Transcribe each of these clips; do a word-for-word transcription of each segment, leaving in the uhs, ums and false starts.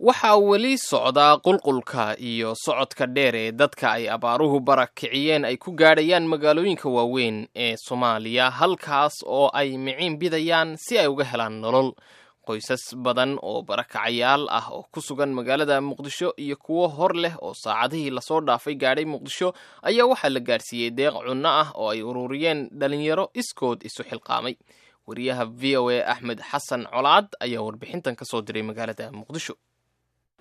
Waxaa weli socdaa qulqulka iyo socodka dheer ee dadka ay abaaruhu barakiciyeen ay ku gaadhayaan magaalooyinka waaweyn ee Soomaaliya, halkaas oo ay miciin bidayaan si ay uga helaan nolol. Qoysas badan oo barakacayaal ah oo ku sugan magaalada Muqdisho iyo kuwo hor leh oo saacadihii lasoo dhaafay gaadhay Muqdisho ayaa waxaa la gaadhsiiyey deeq cunno ah oo ay ururiyeen dhalinyaro iskood isu xilqaamay. Wariyaha V O A Axmed Xasan Colaad ayaa warbixintan ka soo diray magaalada Muqdisho.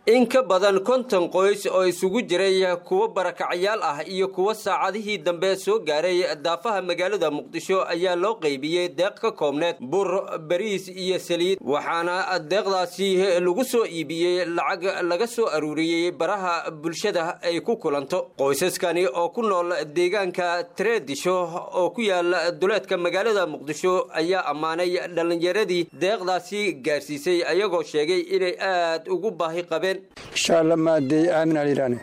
In ka badan konton qoys oo isugu jiray kuwo barakacyaal ah iyo kuwo saacadihii dambe soo gaaray daafaha magaalada Muqdisho ayaa loo qaybiyey deeq ka koobneed bur, bariis iyo saliid, waxaana deeqdaasi lagu soo iibiyey lacag laga soo aruuriyey baraha bulshada ay ku kulanto. Qoysaskani oo ku nool deegaanka Tareedisho oo ku yaala duleedka magaalada Muqdisho ayaa ammaanay dhallinyaradii deeqdaasi gaarsiisay, ayagoo sheegay inay aad ugu baahi qabeen. Insha Allah maadey aamin aliraane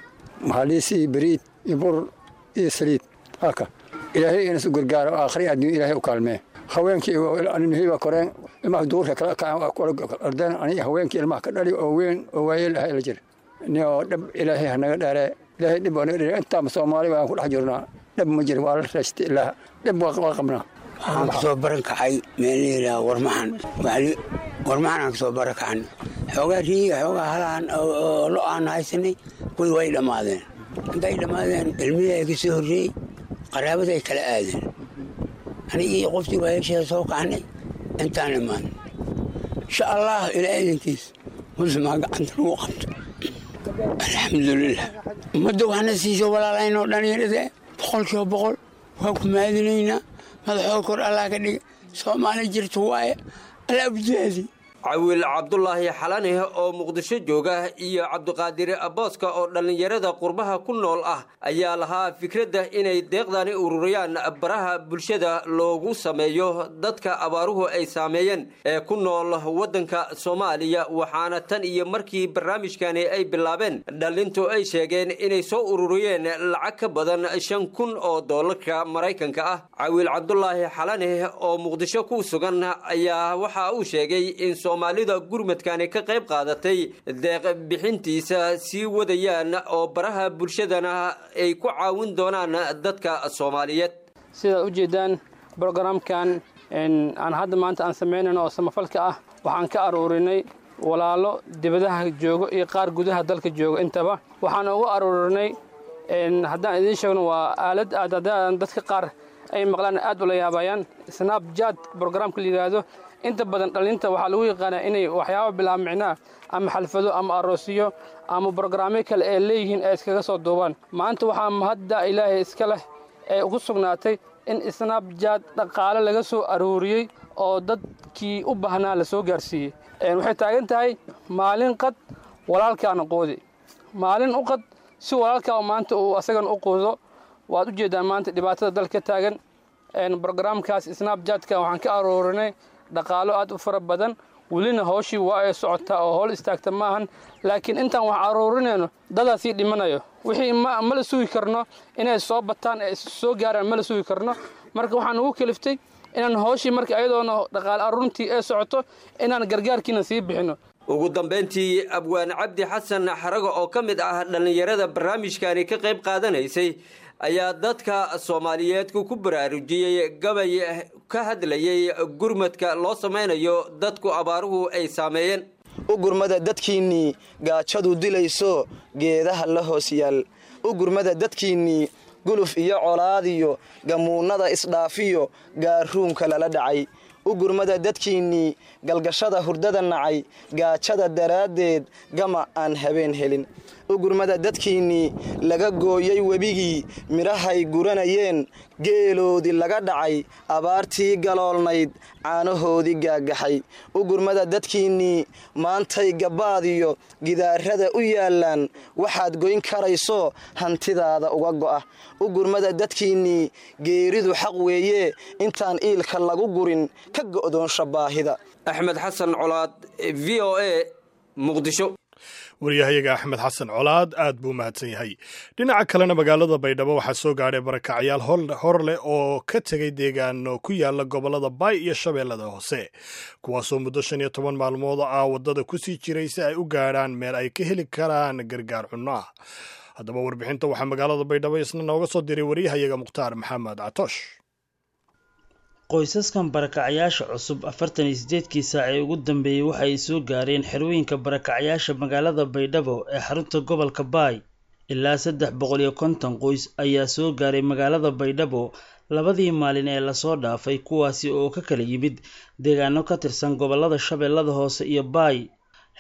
maxaliis iyo bariid iyo bur iyo saliid halka Ilaahay ina su gargaaro, aakhri adduun Ilaahay u kaalmee. Haweenkii anihii waa koreen, ilmaha duurka kala kacaan ordeen, ani haweenkii ilmaha ka dhali oo weyn oo waayeel ahay la jir ni oo dhab Ilaahay hanaga dheeree. Ilaahay dhib waa naga dheeree. Intaama Soomaali waan ku dhex jirnaa, dhab ma jiro, waa la raystay ilaa dhib waa qabnaa. Waxaan kasoo baran kacay meel la yidhaha Warmaxan, Warmaxan aan kasoo baran kacan. Xoogaa riiga, xoogaa halaan oo lo aan haysanay, kuwii way dhammaadeen. Intay dhammaadeen ilmihii ay ka soo horreeyey qaraabaday kala aadeen. Anigii qoftii waayasheeda soo kacnay intaan imaan. Insha Allah ilaa idinkiis muslimaa gacanta lagu qabto. Alxamdulilah, ummadda waxna siiso walaalaynoo dhallinyarada boqolkiiba boqol waa ku maadinaynaa. Madaxoo kor Allah ka dhiga, Soomaali jirto waaye, Allah ujaadi. Cawiil Cabdulaahi Xalane oo Muqdisho jooga iyo Cabdiqaadir Booska oo dhallinyarada qurbaha ku nool ah ayaa lahaa fikradda inay deeqdani ururiyaan, baraha bulshada loogu sameeyo dadka abaaruhu ay saameeyeen ee ku nool waddanka Soomaaliya. Waxaana tan iyo markii barnaamijkani ay bilaabeen dhallintu ay sheegeen inay soo ururiyeen lacag ka badan shan kun oo doolarka Maraykanka ah. Cawiil Cabdulaahi Xalane oo Muqdisho ku sugan ayaa waxa uu sheegay in Soomaalida gurmadkani ka qayb qaadatay deeq bixintiisa sii wadayaan oo baraha bulshadana ay ku caawin doonaan dadka Soomaaliyeed. Sidaad u jeedaan, brogramkan aan hadda maanta aan samaynayno oo samafalka ah waxaan ka aruurinay walaalo dibadaha joogo iyo qaar gudaha dalka jooga intaba. Waxaan ugu aruurinay, haddaan idiin sheegno, waa aalad aad haddaan dadka qaar ay maqlaan aad ula yaabayaan, Snapchat brogramka la yidhaahdo. Inta badan dhalinta waxaa lagu yaqaanaa inay waxyaaba bilaa micnaa ama xalfado ama aroosiyo ama brogramyo kale ee leeyihiin ay iskaga soo duubaan. Maanta waxaa mahadda Ilaahay iska leh ee ugu sugnaatay in Snapchat dhaqaale laga soo aruuriyey oo dadkii u baahnaa la soo gaarsiiyey. Waxay taagan tahay maalin qad walaalkaana quudi, maalin u qad si walaalkaa maanta uu asagana u quudo. Waad u jeedaan maanta dhibaatada dalka taagan. Brogramkaas Snapchatka waxaan ka aruurinay dhaqaalo aad u fara badan. Welina hawshii waa ay socotaa oo howl istaagta maahan, laakiin intaan wax aruurinayno dadaa sii dhimanayo. Wixii ma la sugi karno inay soo bataan ee soo gaaraan, ma la sugi karno. Marka waxaan ugu kaliftay inaan hawshii marka ayadoona dhaqaale aruurintii ay socoto inaan gargaarkiina sii bixino. Ugu dambayntii, Abwaan Cabdi Xasan Xarago oo ka mid ah dhallinyarada barnaamijkani ka qayb qaadanaysay ayaa dadka Soomaaliyeed ku baraarujiyey gabay ka hadlayey gurmadka loo samaynayo dadku abaaruhu ay saameeyeen. U gurmada dadkiinnii gaajadu dilayso geedaha la hoos yaal, u gurmada dadkiinnii guluf iyo colaadiyo gamuunnada isdhaafiyo gaaruunka lala dhacay, u gurmada dadkiinnii galgashada hurdada nacay, gaajada daraaddeed gama aan habeen helin, u gurmada dadkiinnii laga gooyey webigii midhahay guranayeen, geeloodii laga dhacay, abaartii galoolnayd caanahoodii gaagaxay, u gurmada dadkiinnii maantay gabbaadiyo gidaarada u yaallaan, waxaad goyn karayso hantidaada uga go'a, u gurmada dadkiinnii geeridu xaq weeye intaan iilka lagu gurin ka go'doonsha baahida. Axmed Xasan Colaad, V O A, Muqdisho. Wariyahayaga Axmed Xasan Colaad aad buu mahadsan yahay. Dhinaca kalena, magaalada Baydhabo waxaa soo gaadhay barakacyaal hor leh oo ka tegay deegaano ku yaala gobollada Baay iyo Shabeellada Hoose, kuwaasoo muddo shan iyo toban maalmood ah waddada kusii jiray si ay u gaadhaan meel ay ka heli karaan gargaar cunno ah. Haddaba warbixinta waxaa magaalada Baydhabo isna nooga soo diray wariyahayaga Mukhtaar Maxamed Catoosh. Qoysaskan barakacyaasha cusub afartan iyo sideedkii saac ee ugu dambeeyey waxa ay soo gaareen xerooyinka barakacyaasha magaalada Baydhabo ee xarunta gobolka Baay. Ilaa saddex boqol iyo konton qoys ayaa soo gaaray magaalada Baydhabo labadii maalin ee lasoo dhaafay, kuwaasi oo ka kala yimid deegaano ka tirsan gobolada Shabeellada Hoose iyo Baay.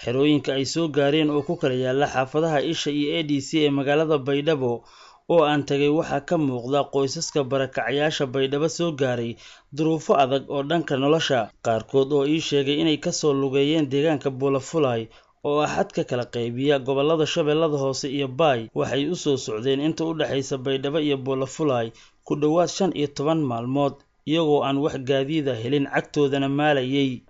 Xerooyinka ay soo gaareen oo ku kala yaala xaafadaha Isha iyo A D C ee magaalada Baydhabo oo aan tagay, waxaa ka muuqda qoysaska barakacyaasha Baydhabo soo gaaray duruufo adag oo dhanka nolosha, qaarkood oo ii sheegay inay kasoo lugeeyeen deegaanka Buulafulay oo ah xadka kala qaybiya gobolada Shabeellada Hoose iyo Baay. Waxay u soo socdeen inta u dhexaysa Baydhabo iyo Buulafulay ku dhowaad shan iyo toban maalmood, iyagoo aan wax gaadiida helin, cagtoodana maalayay.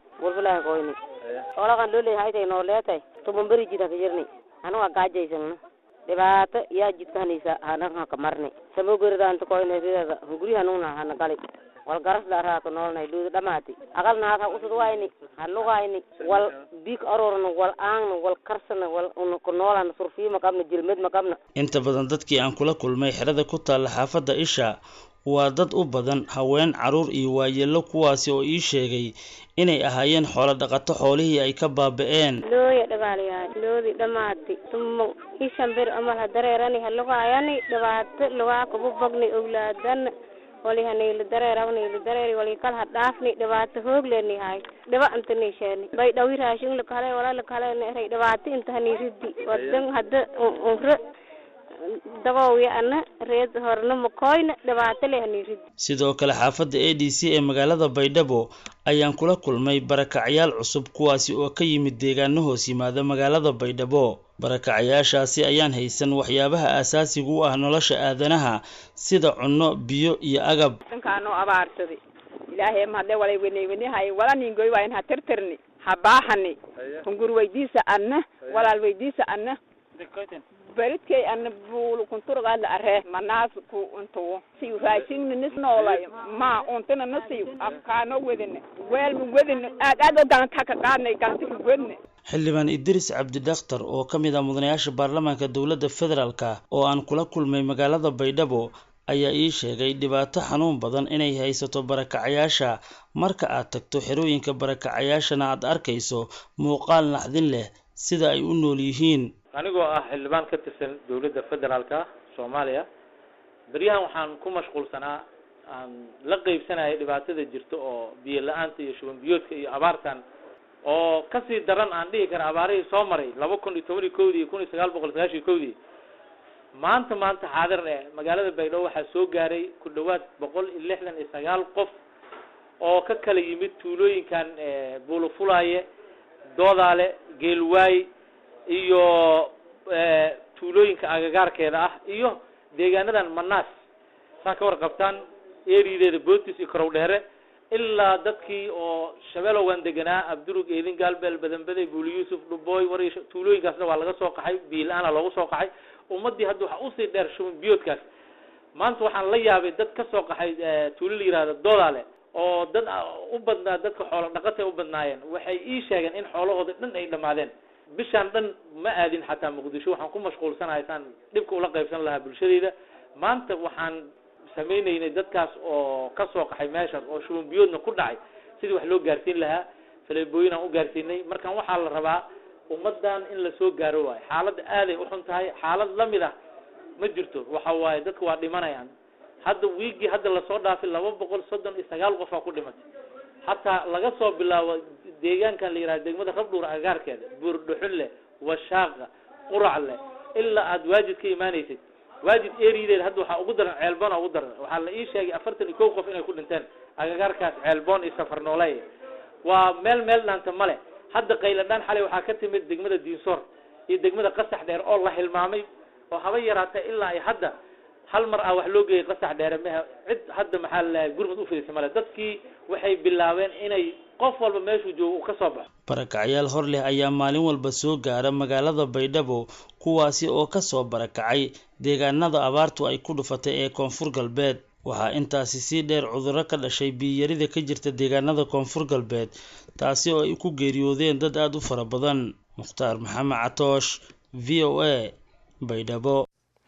Dhibaato yaa jidkahanaysa hanaka marne samogeridaanta koynesidada hunguri hanugna hana gali wal garas dharaa ka noolnay luuda dhamaati aqalna haad ha usud wayni ha lugayni wal biig aroorna wal aangna wal karsana wal una ku noolana surfiima qabna jilmed ma qabna. Inta badan dadkii aan kula kulmay xerada ku taalla xaafadda Isha waa dad u badan haween, carruur iyo waayeello, kuwaasi oo ii sheegay inay ahaayeen xoolo dhaqato xoolihii ay ka baaba'een. Looya dhabaalayaa loodi dhamaati tumo ishan bir amal ha dareerani ha lugaayani dhibaato lugaa kubu bogni owlaadan wali hanayla dareerawni dareeri wali kal ha dhaafni dhibaato hoogleeni hay dhiba inta niisheeni bay dhawi raashin lakale wala lakale neeray dhibaato inta haniiridi wadan hadda unre daboowiya ana reed horna makoyna dhibaato leh haniiridi. Sidoo kale xaafadda A D C ee magaalada Baydhabo ayaan kula kulmay barakacyaal cusub, kuwaasi oo ka yimid deegaano hoos yimaada magaalada Baydhabo. Barakacyaashaasi ayaan haysan waxyaabaha aasaasiga u ah nolosha aadanaha sida cunno, biyo iyo agab. Dhankaanoo abaarsaday ilaahay mahadle walay weney wenehay wala ningoy waayn ha tirtirni ha baahani hungur weydiisa anna walaal weydiisa anna baridkay anna buulu kunturgaadla aree manaas ku untuwo siyu raashinna nis noolay ma untana na siyu afkaano wedine weelma wedine aad aad oo gacanta ka qaadnay gacanta ka wedne. Xildhibaan Idris Cabdidakhtar oo ka mid ah mudanayaasha baarlamaanka dowladda federaalka oo aan kula kulmay magaalada Baydhabo ayaa ii sheegay dhibaato xanuun badan inay haysato barakacayaasha. Marka aad tagto xerooyinka barakacayaashana aad arkayso muuqaal naxdin leh sida ay u nool yihiin. Anigoo ah xildhibaan ka tirsan dowladda federaalka Soomaaliya, beryahan waxaan ku mashquulsanaa aan la qeybsanayay dhibaatada jirta oo biyo la-aanta iyo shuban biyoodka iyo abaartan oo kasii daran aan dhihi kara abaarihii soo maray laba kun iyo toban iyo kowdii iyo kun iyo sagaal boqol sagaashan iyo kowdii. Maanta maanta xaadir eh magaalada Baydhabo waxaa soo gaaray ku dhawaad boqol iyo lixdan iyo sagaal qof oo ka kala yimid tuulooyinkan Buulafulaaye, Doodaale, Geelwaay iyo tuulooyinka agagaarkeeda ah iyo deegaanadan Manaas saa ka warqabtaan erideeda Bootis iyo Korowdheere ilaa dadkii oo Shabeelowgan deganaa Abdurug, Eedin, Gaalbeel, Badanbaday, Buuli Yuusuf, Dhubooy, Wariish, tuulooyinkaasna waa laga soo qaxay, biyo la-aana loogu soo qaxay. Ummaddii hadda waxaa usii dheer shuban biyoodkaas. Maanta waxaan la yaabay dad ka soo qaxay tuulo la yihahdo Doodaale oo dad u badnaa dadka xoolo dhaqatay u badnaayeen. Waxay ii sheegeen in xoolahooda dhan ay dhammaadeen. Bishaan dhan ma aadin xataa Muqdisho, waxaan ku mashquulsanahay saan dhibka ula qaybsan lahaa bulshadayda. Maanta waxaan samaynaynay dadkaas oo ka soo qaxay meeshaas oo shuban biyoodna ku dhacay sidii wax loo gaarsiin lahaa, faleebooyin aan u gaarsiinay. Markan waxaa la rabaa ummaddan in la soo gaaro waayo. Xaaladda aaday u xun tahay, xaalad lamid ah ma jirto. Waxa waaye dadka waa dhimanayaan. Hadda wiigii hadda lasoo dhaafay laba boqol soddon iyo sagaal qof aa ku dhimatay. Xataa laga soo bilaabo deegaankan la yihahdo degmada Rabdhuur agagaarkeeda, Buurdhuxunle, Washaaqa, Quracle, ilaa aad Waajid ka imaanaysid. Waajid erideeda hadda waxaa ugu daran Ceelboon ugu daran. Waxaa la ii sheegay afartan iyo kow qof inay ku dhinteen agagaarkaas Ceelboon iyo Safarnooley. Waa meel meel dhaanta male. Hadda qayladhaan xalay waxaa ka timid degmada Diinsoor iyo degmada Qasax Dheer oo la hilmaamay oo haba yaraatee ilaa ay hadda Hal mar ah wax loo geeyay Qasax Dheere mehe, cid hadda maxaa lalahay gurmud u fidisay male. Dadkii waxay bilaabeen inay qof walba meeshuu joogo uu ka soo baxo. Barakacyaal hor leh ayaa maalin walba soo gaara magaalada Baydhabo, kuwaasi oo ka soo barakacay deegaanada abaartu ay ku dhufatay ee Koonfur Galbeed. Waxaa intaasi sii dheer cudurro ka dhashay biyiyarida ka jirta deegaanada Koonfur Galbeed, taasi oo ay ku geeriyoodeen dad aada u fara badan. Mukhtaar Maxamed Catoosh, V O A, Baydhabo.